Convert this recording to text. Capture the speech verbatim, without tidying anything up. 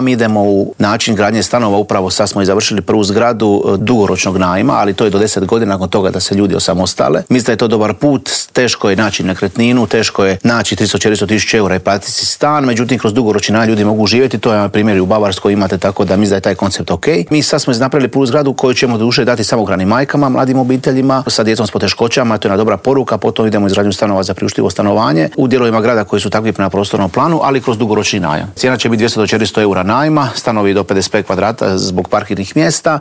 Mi idemo u način gradnje stanova, upravo sad smo i završili prvu zgradu dugoročnog najma, ali to je do deset godina nakon toga da se ljudi osamostale. Mislim da je to dobar put, teško je naći nekretninu, teško je naći tristo do četiristo tisuća eura i platiti si stan, međutim kroz dugoročni najam ljudi mogu živjeti, to je na primjer i u Bavarskoj imate, tako da mislim da je taj koncept ok. Mi sad smo napravili prvu zgradu koju ćemo do duše dati samohranim majkama, mladim obiteljima, sa djecom s poteškoćama, to je jedna dobra poruka, potom idemo u izgradnju stanova za priuštivo stanovanje u dijelovima grada koji su takvi prema prostornom planu, ali kroz dugoročni najam. Cijena će biti dvjesto do četiristo eura najma, stanovi do pedeset pet kvadrata zbog parkirnih mjesta